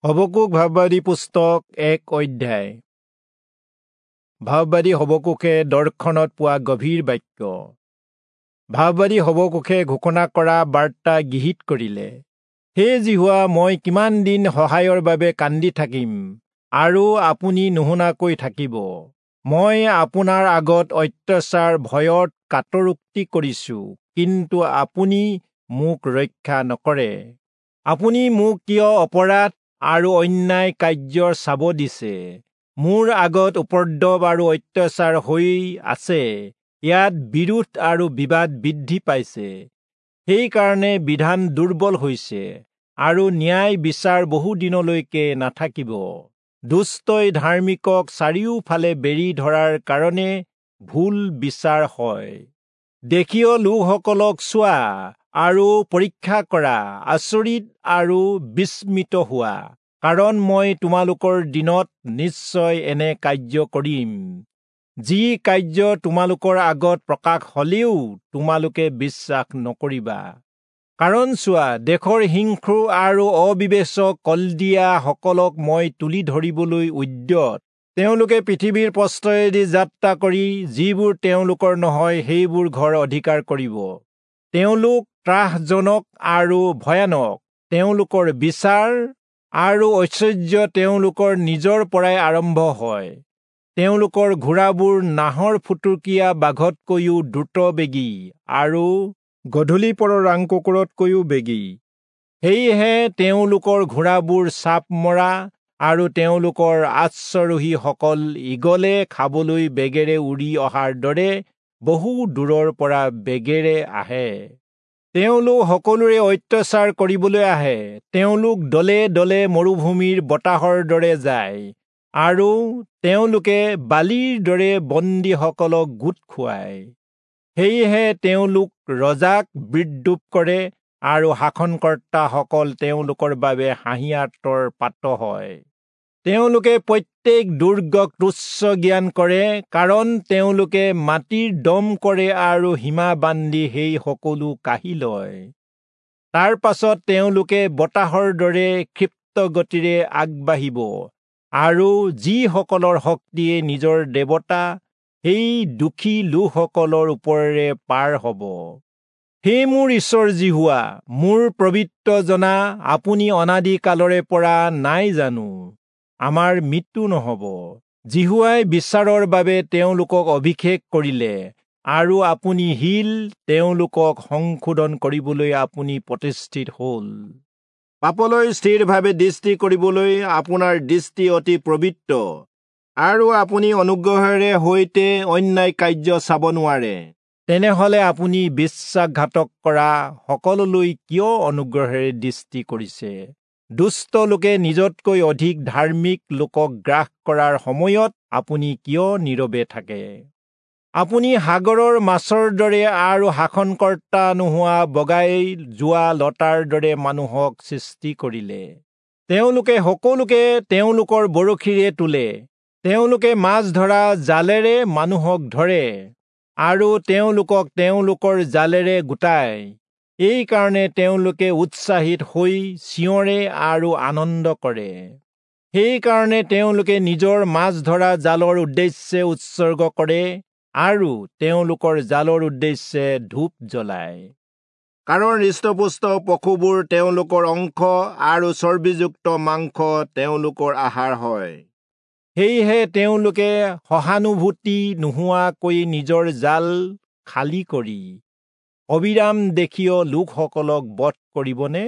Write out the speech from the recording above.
Habakkuk ভাববাদী পুস্তক 1 অধ্যায়। ভাববাদী হবকুকে দৰ্শনত পোৱা গভীৰ বাক্য। ভাববাদী হবকুকে ঘোষণা কৰা বাৰ্তা গৃহীত কৰিলে। হে যিহোৱা, মই কিমান দিন সহায়ৰ বাবে কান্দি থাকিম আৰু আপুনি নুশুনাকৈ থাকিব? মই আপোনাৰ আগত অত্যাচাৰ ভয়ত কাতৰোক্তি কৰিছো, কিন্তু আপুনি মোক ৰক্ষা নকৰে। আপুনি মোক কিয় অপৰাধ আৰু অন্যায় কাৰ্যৰ চাব দিছে? মোৰ আগত উপদ্ৰৱ আৰু অত্যাচাৰ হৈ আছে, ইয়াত বিৰোধ আৰু বিবাদ বৃদ্ধি পাইছে। সেইকাৰণে বিধান দুৰ্বল হৈছে আৰু ন্যায় বিচাৰ বহুদিনলৈকে নাথাকিব। দুষ্টই ধাৰ্মিকক চাৰিওফালে বেৰি ধৰাৰ কাৰণে ভুল বিচাৰ হয়। দেশীয় লোকসকলক চোৱা আৰু পৰীক্ষা কৰা, আচৰিত আৰু বিস্মিত হোৱা, কাৰণ মই তোমালোকৰ দিনত নিশ্চয় এনে কাৰ্য কৰিম, যি কাৰ্য তোমালোকৰ আগত প্ৰকাশ হলেও তোমালোকে বিশ্বাস নকৰিবা। কাৰণ চোৱা, দেশৰ হিংস্ৰ আৰু অবিবেচক কলদিয়াসকলক মই তুলি ধৰিবলৈ উদ্যত। তেওঁলোকে পৃথিৱীৰ প্ৰস্থয়েদি যাত্ৰা কৰি যিবোৰ তেওঁলোকৰ নহয় সেইবোৰ ঘৰ অধিকাৰ কৰিব। তেওঁলোক ত্ৰাসজনক আৰু ভয়ানক, তেওঁলোকৰ বিচাৰ আৰু ঐশ্বৰ্য তেওঁলোকৰ নিজৰ পৰাই আৰম্ভ হয়। তেওঁলোকৰ ঘোঁৰাবোৰ নাহৰ ফুটুকীয়া বাঘতকৈও দ্ৰুতবেগী আৰু গধূলি পৰৰ ৰাং কুকুৰতকৈও বেগী। সেয়েহে তেওঁলোকৰ ঘোঁৰাবোৰ চাপ মৰা আৰু তেওঁলোকৰ আশ্বাৰোহীসকল ঈগলে খাবলৈ বেগেৰে উৰি অহাৰ দৰে বহু দূৰৰ পৰা বেগেৰে আহে। তেওঁলোক সকলোৰে অত্যাচাৰ কৰিবলৈ আহে। তেওঁলোক দলে দলে মৰুভূমিৰ বতাহৰ দৰে যায় আৰু তেওঁলোকে বালিৰ দৰে বন্দীসকলক গোট খুৱায়। সেয়েহে তেওঁলোক ৰজাক বিদ্ৰূপ কৰে আৰু শাসনকৰ্তাসকল তেওঁলোকৰ বাবে হাঁহিয়াতৰ পাত্ৰ হয়। তেওঁলোকে প্ৰত্যেক দুৰ্গক তুচ্ছ জ্ঞান কৰে, কাৰণ তেওঁলোকে মাটিৰ দম কৰে আৰু সীমা বান্ধি সেই সকলো কাঢ়ি লয়। তাৰ পাছত তেওঁলোকে বতাহৰ দৰে ক্ষিপ্ত গতিৰে আগবাঢ়িব আৰু যিসকলৰ শক্তিয়ে নিজৰ দেৱতা, সেই দুখী লোকসকলৰ ওপৰেৰে পাৰ হ'ব। হে মোৰ ঈশ্বৰ যিহোৱা, মোৰ পবিত্ৰ জনা, আপুনি অনাদি কালৰে পৰা নাই জানো? আমাৰ মৃত্যু নহ'ব। যিহোৱাই বিচাৰৰ বাবে তেওঁলোকক অভিষেক কৰিলে আৰু আপুনি শিল, তেওঁলোকক সংশোধন কৰিবলৈ আপুনি প্ৰতিষ্ঠিত হ'ল। পাপলৈ স্থিৰভাৱে দৃষ্টি কৰিবলৈ আপোনাৰ দৃষ্টি অতি পবিত্ৰ আৰু আপুনি অনুগ্ৰহেৰে সৈতে অন্যায় কাৰ্য চাব নোৱাৰে। তেনেহ'লে আপুনি বিশ্বাসঘাতক কৰা সকললৈ কিয় অনুগ্ৰহেৰে দৃষ্টি কৰিছে? দুষ্ট লোকে নিজতকৈ অধিক ধাৰ্মিক লোকক গ্ৰাস কৰাৰ সময়ত আপুনি কিয় নীৰৱে থাকে? আপুনি সাগৰৰ মাছৰ দৰে আৰু শাসনকৰ্তা নোহোৱা বগাই যোৱা লতাৰ দৰে মানুহক সৃষ্টি কৰিলে। তেওঁলোকে সকলোকে তেওঁলোকৰ বৰশীৰে তোলে। তেওঁলোকে মাছ ধৰা জালেৰে মানুহক ধৰে আৰু তেওঁলোকক তেওঁলোকৰ জালেৰে গোটায়। এইকাৰণে তেওঁলোকে উৎসাহিত হৈ চিঞৰে আৰু আনন্দ কৰে। সেইকাৰণে তেওঁলোকে নিজৰ মাছ ধৰা জালৰ উদ্দেশ্যে উৎসৰ্গ কৰে আৰু তেওঁলোকৰ জালৰ উদ্দেশ্যে ধূপ জ্বলায়। কাৰণ হৃষ্টপুষ্ট পশুবোৰ তেওঁলোকৰ অংশ আৰু চৰ্বিযুক্ত মাংস তেওঁলোকৰ আহাৰ হয়। সেয়েহে তেওঁলোকে সহানুভূতি নোহোৱাকৈ নিজৰ জাল খালী কৰি অবিৰাম দেশীয় লোকসকলক বধ কৰিবনে?